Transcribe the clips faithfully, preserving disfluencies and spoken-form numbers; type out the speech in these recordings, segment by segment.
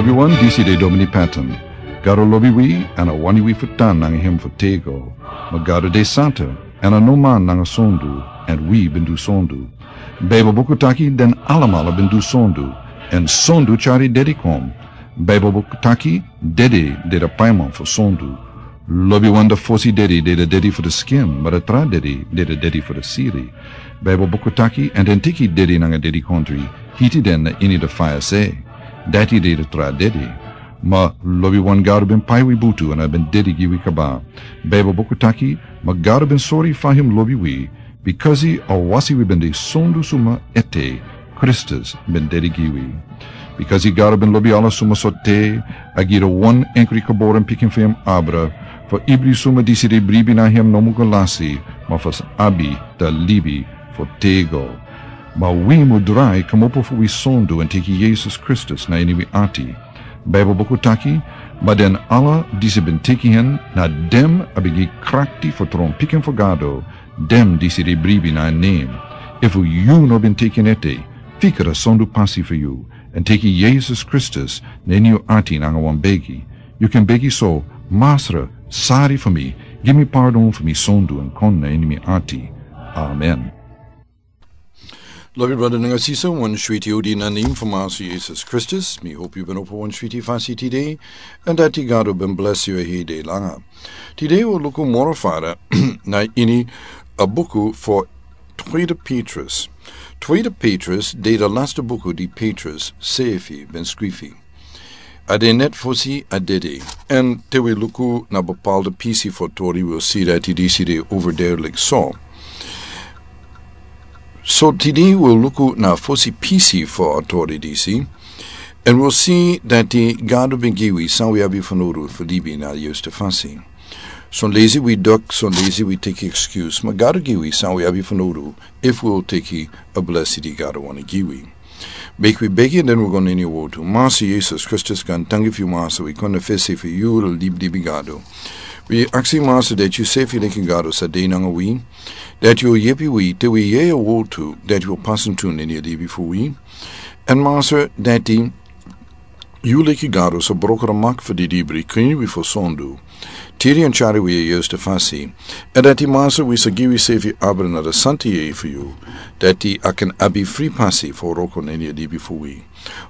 Wi wan disi de Domini Patton. Gado lobi wi, èn a wani wi fu tan nanga hem fu tego. Ma Gado de santa, èn a no man nanga sondu, èn wi ben du sondu. Baibel buku taki den alamala ben du sondu, èn sondu tyari dedi kon. Baibel buku taki dedi de de paiman fu sondu. Lobiwan de fosi dedi de de dedi fu de skin, ma de tra dedi de de dedi fu de siri. Baibel buku taki, èn den teki dedi nanga dedikontri, hiti den na ini de faya se. Dati de de tra dedi. Ma lobiwan Gado ben pai wi butu èn a ben dedi gi wi kaba. Baibel buku taki, ma Gado ben sori fa hem lobi wi, bikasi a wasi wi ben de sondu suma ete, Kristus ben dedi gi wi. Bikasi Gado ben lobi ala suma so te, a gi de wan enkri geboren pikin fu hem abra, fu ibri suma disi de bribi na hem no mu go lasi, ma fu abi da libi fu tego. Ma wi mu drai kmopo fu wi sondu èn teki Yesus Kristus na ini wi ati. Baibel buku taki, ma den ala disi ben teki hen, na dem a ben gi krakti fu tron pikin fu Gado, dem disi de bribi na en nen. Efu yu no ben teki en ete, fikra sondu pasi fu yu, èn teki Yesus Kristus na ini yu ati nanga wan begi. Yu kan begi so, Masra, sari fu mi, gi mi pardon fu mi sondu èn kon na ini mi ati. Amen. Lobi brada nanga sisa, wan switi odi na nen fu Masra Yesus Kristus. Mi hopi yu ben opo wan switi fasi tide, èn dati Gado ben blesi yu hede langa. Tide wi luku moro fara na ini a buku fu Tweede Petrus. Tweede Petrus de de laste buku di Petrus sefi ben skrifi. A de net fosi a dede. Èn te wi luku na bepaalde pisi fu tori, wi si dati disi de overduidelijk so. So tide wi luku na fosi pisi fu a tori disi. Èn wi si dati Gado ben gi wi san wi abi fanowdu fu libi na a yuste fasi. Son leisi wi dok, son leisi wi teki excuse. Ma Gado gi wi san wi abi fanowdu efu wi teki a blesi di Gado wani gi wi. Meki wi begi èn den wi go na ini a wortu. Masra Yesus Kristus, gaantangi fu yu Masra, wi kon na fesi fu yu, libelebe Gado. Wi aksi Masra dati yu sefi leki Gado sa de nanga wi. Dati yu yepi wi, te wi yere a wortu, dati wi pasentu na ini a libi fu wi. Èn Masra dati yu leki Gado sa broko a mak fu di dibri, krin wi fu sondu. Tiri èn tyari wi a yuste fasi. Èn dati Masra wi sa gi wi sefi abra na de santa yeye fu yu. Dati a kan abi fri pasi fu wroko na ini a libi fu wi.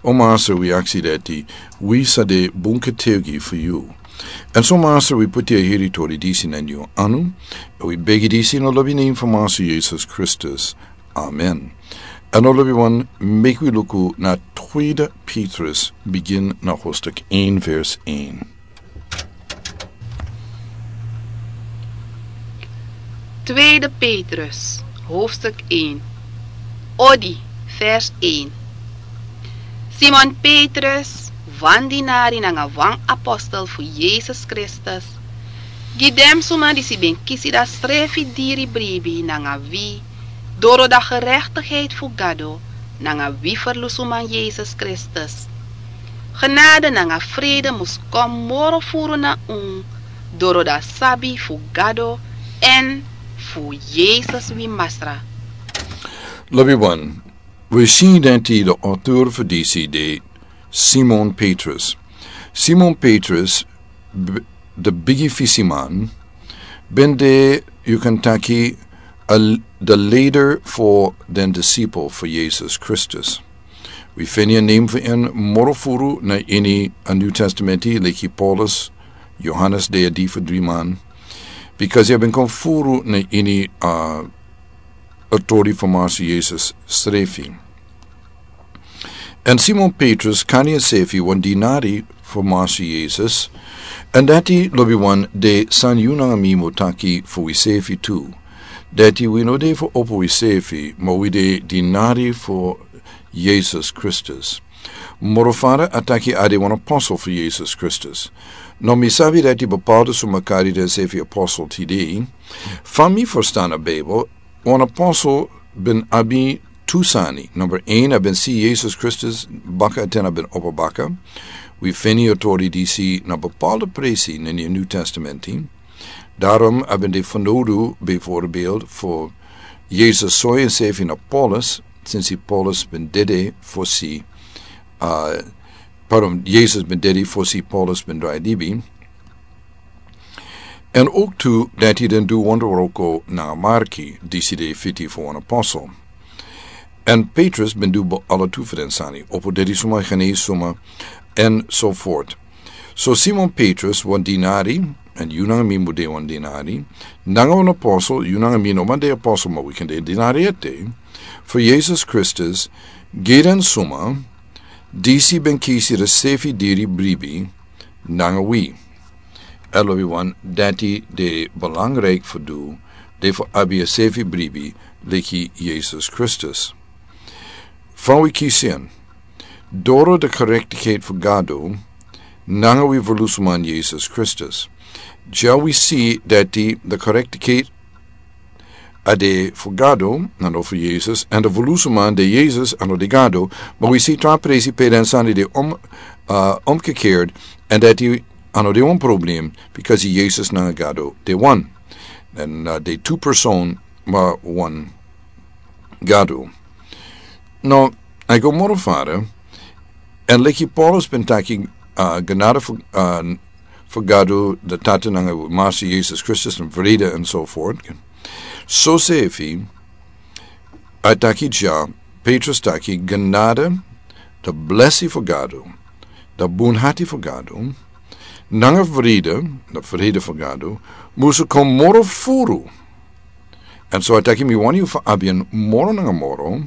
O Masra wi aksi dati wi sa de bun getuigi fu yu. Èn so Masra wi poti a heri tori disi na ini yu anu. Èn wi begi disi na lobi nen fu Masra Yesus Kristus. Amen. Èn o lobiwan, meki wi luku na Tweede Petrus, bigin na hoofdstuk één vers één. Tweede Petrus, hoofdstuk één. Odi, vers één. Simon Petrus, wan dinari nanga wan apostel fu Yesus Kristus, gi den suma disi ben kisi da srefi diri bribi nanga wi, doro da gerechtigheid fu Gado nanga wi ferlusuman Yesus Kristus. Genade nanga frede mus kon moro furu na un, doro da sabi fu Gado èn fu Yesus wi Masra. Lobiwan, wi si dati de auteur fu disi de Simon Petrus. Simon Petrus, b-, de bigi fisiman, ben de, yu kan taki, a l-, de leider fu den disipel fu Yesus Kristus. Wi feni a nen fu en moro furu na ini a New Testament, leki Paulus, Johannes de a di fu dri man. Bikasi a ben kon furu na ini a, a tori fu Masra Yesus srefi. Èn Simon Petrus kari ensefi wan dinari fu Masra Yesus. Èn dati lobiwan de san yu nanga mi mu taki fu wisefi tu. Dati wi no de fu opo wisefi, ma wi de dinari fu Yesus Kristus. Moro fara a taki a de wan apostel fu Yesus Kristus. No mi sabi dati bepaalde suma kari densefi apostel tide. Fa mi ferstan a Bijbel, wan apostel ben abi tu sani. Number één, a ben si Yesus Kristus baka te na ben opo baka. Wi feni a tori disi na bepaalde presi na ini a New Testament. Daarom a ben de fanowdu, bijvoorbeeld, fu Yesus sori ensefi na Paulus, sinsi Paulus ben dede fosi, uh, Pardon, Yesus ben dedi fosi Paulus ben drai libi. Èn owktu dati den du wonderwroko nanga Marki, disi de fiti fu wan apostel. Èn Petrus ben du bo ala tu fu den sani, opo dedi suma, genesi suma, èn so voort. So Simon Petrus, wan dinari, èn yu nanga mi mu de wan dinari, nanga wan apostel, yu nanga mi no man de apostel, ma wi kan de dinari ete, fu Yesus Kristus, gi den suma, disi ben kisi den sefi diri bribi, nanga wi. Èn lobiwan, dati de belangrijk fu du, de fu abi a sefi bribi, leki Yesus Kristus. Fa wi kisi en, doro de gerechtigheid fu Gado, nanga wi verlusman Yesus Kristus. Dya wi si dati de gerechtigheid a de fu Gado, a no fu Yesus, èn de verlusman de Yesus, a no de Gado, ma wi si tra presi pe den sani de om, uh, omgekeerd, èn dati a no de wan problem, because Yesus nanga Gado de wan. Èn, uh, de tu persoon, ma wan Gado. No, a go moro fara, èn leki Paulus ben taki, uh, genade fu, uh, fu Gado, de Tata nanga Master Yesus Kristus, èn vrede, èn so voort. So sefi, a taki dya, Petrus taki, genade, de blesi fu Gado, de bunhati fu Gado, nanga vrede, de vrede fu Gado, musu kon moro furu. Èn so a taki mi wani fu abi en moro nanga moro,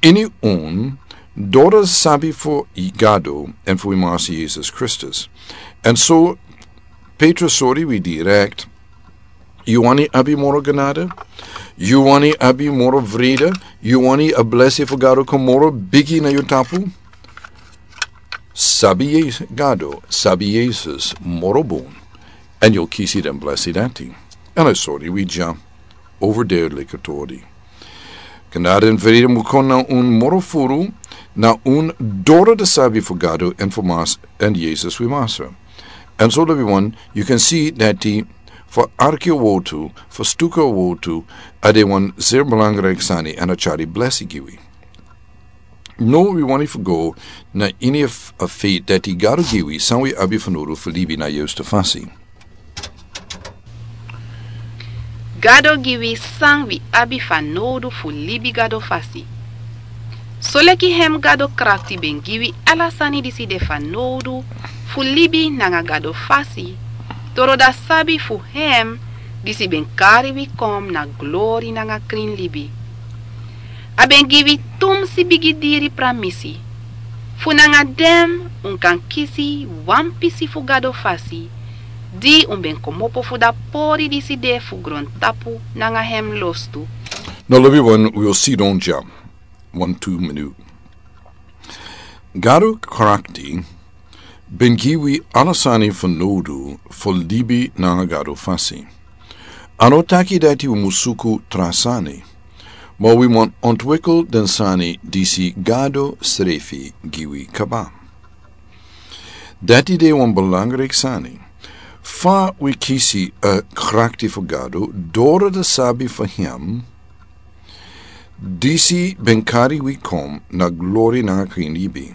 ini un, doro sabi fu Gado, èn fu wi Master Yesus Kristus. Èn so Petrus sori wi direct, yu wani abi moro genade? Yu wani abi moro vrede? Yu wani a blesi fu Gado kon moro bigi na yu tapu? Sabi Yes-, Gado, sabi Yesus, moro bun. Èn yu kisi den blesi dati. Èn a sori wi dya, overduidelijk a tori. Genade èn vrede mu kon na un moro furu, na un doro de sabi fu Gado èn fu Mas-, èn Yesus wi Master. Èn so lobiwan, yu kan si dati fu arki a wotu, fu stuku a wotu, a de wan zeer belangrijk sani èn a tyari blesi gi wi. No, wi wani fu go na ini a f-, a feit dati Gado gi wi san wi abi fanowdu fu libi na a yustu fasi. Gado gi wi san wi abi fanowdu fu libi Gado fasi. Soleki hem Gado krakti ben gi wi ala sani disi de fanowdu fu libi nanga Gado fasi, doro da sabi fu hem disi ben kari wi kon na glori nanga krin libi. A ben gi wi tumsi bigi diri pramisi. Fu nanga den un kan kisi wan pisi fu Gado fasi, di un ben komopo fu da pori disi de fu grontapu nanga hem lostu. No, lobiwan, wi o sidon dya wan tu minut. Gado krakti ben gi wi ala sani fanowdu fu libi nanga Gado fasi. A no taki dati wi mu suku tra sani, ma wi mu ontwikkel den sani disi Gado srefi gi wi kaba. Dati de wan belangrijk sani. Fa wi kisi a krakti fu Gado, doro de sabi fu hem, disi ben kari wi kon na glori nanga krin libi.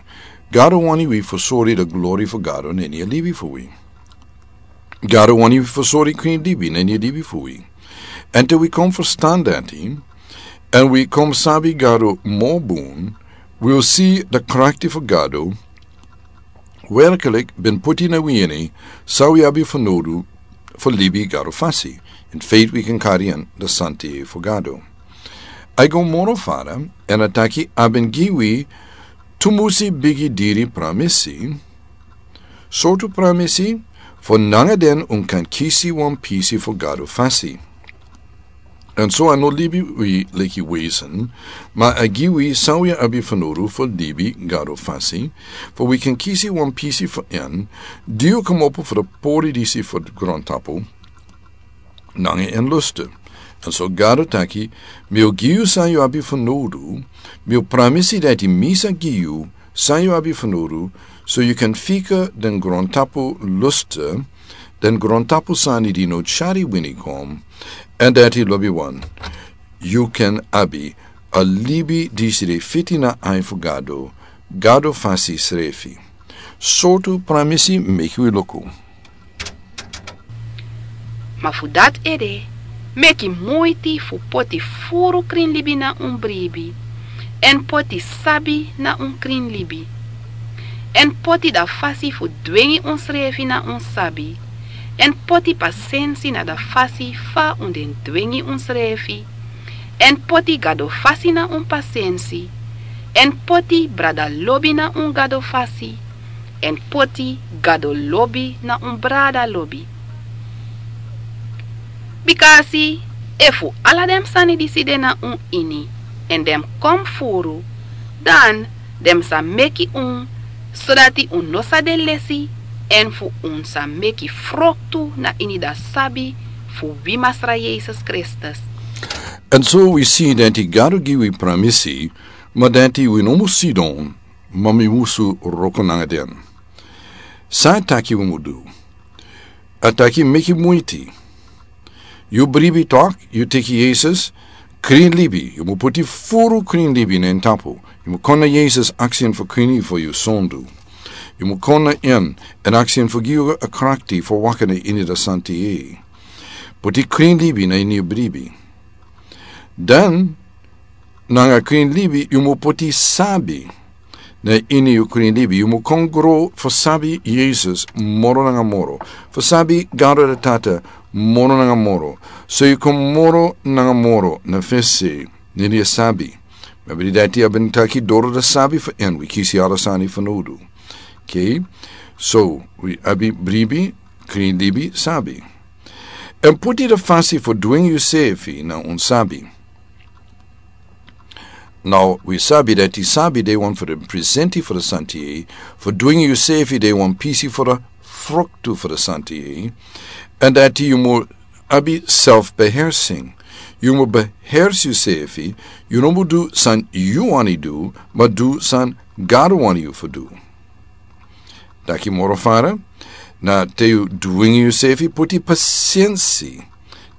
Gado wani wi fu sori da glori fu Gado na ini a libi fu wi. Gado wani wi fu sori krin libi na ini a libi fu wi. Èn te wi kon ferstan dati, èn wi kon sabi Gado moro bun, wi o si da krakti fu Gado, werkelijk ben puti na wi ini, san wi abi fanowdu fu libi Gado fasi. In feit wi kan kari en da santidad fu Gado. A go moro fara, èn a taki a ben gi wi tumusi bigi diri pramisi, sortu pramisi, fu nanga den un kan kisi wan pisi fu Gado fasi. Èn so a no libi wi leki wesen, ma a gi wi san wi abi fanowdu fu libi Gado fasi, fu wi kan kisi wan pisi fu en, di o komopo fu da pori disi fu grontapu, nanga en lustu. Èn so Gado taki, mi o gi yu san yu abi fanowdu, mi o pramisi dati mi sa gi yu san yu abi fanowdu, so yu kan fika den grontapu lustu, den grontapu sani di no tyari wini kon, èn dati lobiwan, yu kan abi a libi disi de fiti na ai fu Gado, Gado fasi srefi. Sortu pramisi meki wi luku. Ma fu dati ede, meki muiti fu poti furu krinlibi na un bribi, èn poti sabi na un krinlibi, èn poti da fasi fu dwengi unsrefi na un sabi, èn poti pasensi na da fasi fa un den dwengi unsrefi, èn poti Gado fasi na un pasensi, èn poti brada lobi na un Gado fasi, èn poti Gado lobi na un brada lobi. Bika a si, efu ala den sani disi de na un ini, èn den mus kon furu, dan den mus sa meki un, sodati un no sa de lesi, èn fu un sa meki froktu na ini da sabi fu wi Masra Yesus Kristus. Èn so wi si dati Gado gi wi pramisi, ma dati wi no mus sidon, ma mi musu wroko nanga den. San a taki wi mus du? A taki meki muiti. Yu bribi tok, yu teki Yesus, krinlibi, yu mus poti furu krinlibi na en tapu. Yu mus kon na Yesus, aksi en fu krin yu fu yu sondu. Yu mus kon na en, èn aksi en fu gi yu a krakti fu waka na ini da santiyei. Poti krinlibi na ini yu bribi. Dan, nanga krinlibi, yu mus poti sabi na ini yu krinlibi. Yu mus kon gro fu sabi Yesus moro nanga moro. Fu sabi Gado da Tata moro nanga moro. So yu kon moro nanga moro na fesi na ini a sabi. Membri dati a ben taki doro da sabi fu en wi kisi ala sani fanowdu. Oke? So, wi abi bribi, krinlibi, sabi. Èn poti da fasi fu dwengi yusefi na un sabi. Now, wi sabi dati sabi de wan fu den presenti fu da santiyei, fu dwengi yusefi de wan pisi fu da froktu fu da santiyei, èn dati yu mus abi self-beheersing. Yu mus beheersi yusefi, yu no mus du san yu wani du, ma du san Gado wani yu fu du. Dati moro fara, na te yu dwengi yusefi, poti pasensi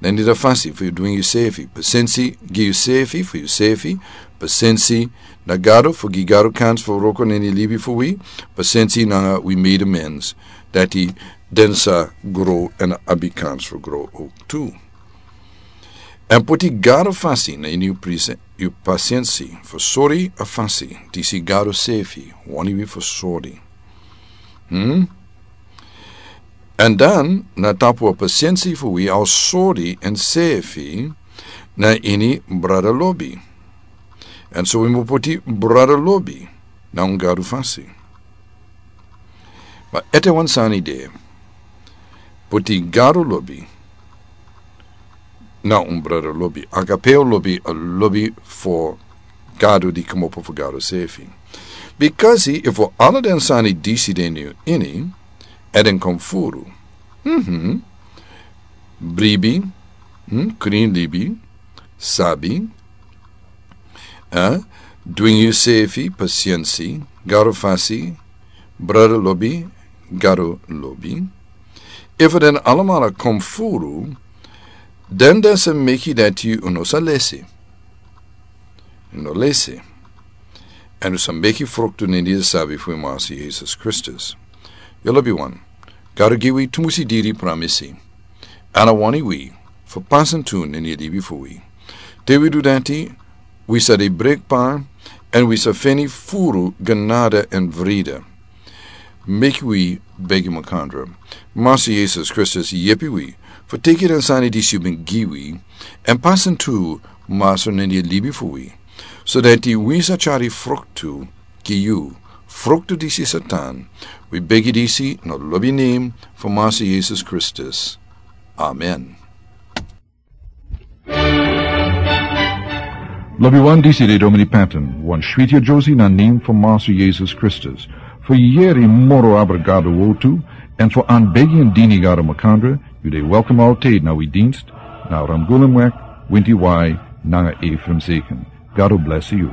na ini da fasi fu yu dwengi yusefi. Pasensi gi yusefi fu yusefi, pasensi na Gado fu gi Gado kans fu wroko na ini libi fu wi, pasensi nanga wi medemens, dati den sa gro èn abi kans fu gro ook tu. Èn poti Gado fasi na ini yu prese-, yu pasensi, fu sori a fasi disi Gado sefi wani wi fu sori. Hmm? Èn dan, na tapu a pasensi fu wi a o sori ensefi na ini brada lobi. Èn so wi mus poti brada lobi na un Gado fasi. Ma ete wan sani de, poti Gado lobi na un brada lobi. Agapeo lobi, a lobi fu Gado di kmopo fu Gado sefi. Bikasi efu ala den sani disi de na yu ini, èn den kon furu. Mhm. Bribi, hmm, krin libi, sabi, eh, dwingi yusefi, pasensi, Gado fasi, brada lobi, Gado lobi. Efu den alamala kon furu, den den sa meki dati un no sa lesi. Un no lesi. Èn un sa meki fruktu na ini a sabi fu wi Masi Yesus Kristus. Yu lobiwan, Gado gi wi tumusi diri pramisi. Èn a wani wi fu pasa tu na ini a libi fu wi. Te wi du dati, wi sa de brekbar, èn wi sa feni furu genade èn vrede. Meki wi begi makandra. Masi Yesus Kristus, yepi wi fu teki den sani disi yu ben gi wi, èn pasa tu, Masi, na ini a libi fu wi, so dati wi sa tyari fruktu gi yu, fruktu disi sa tan. Wi begi disi na lobi nen fu Masi Yesus Kristus. Amen. Lobiwan, disi de Domini Patton, wan switi yere na nen fu Masi Yesus Kristus. Fu yere moro abra Gado wortu, èn fu anbegi èn dini Gado makandra, yu de welkom altijd na wi dienst, na Ramgulemweg, Winti Wai, nanga Ephraim Zeken. Gado blesi yu.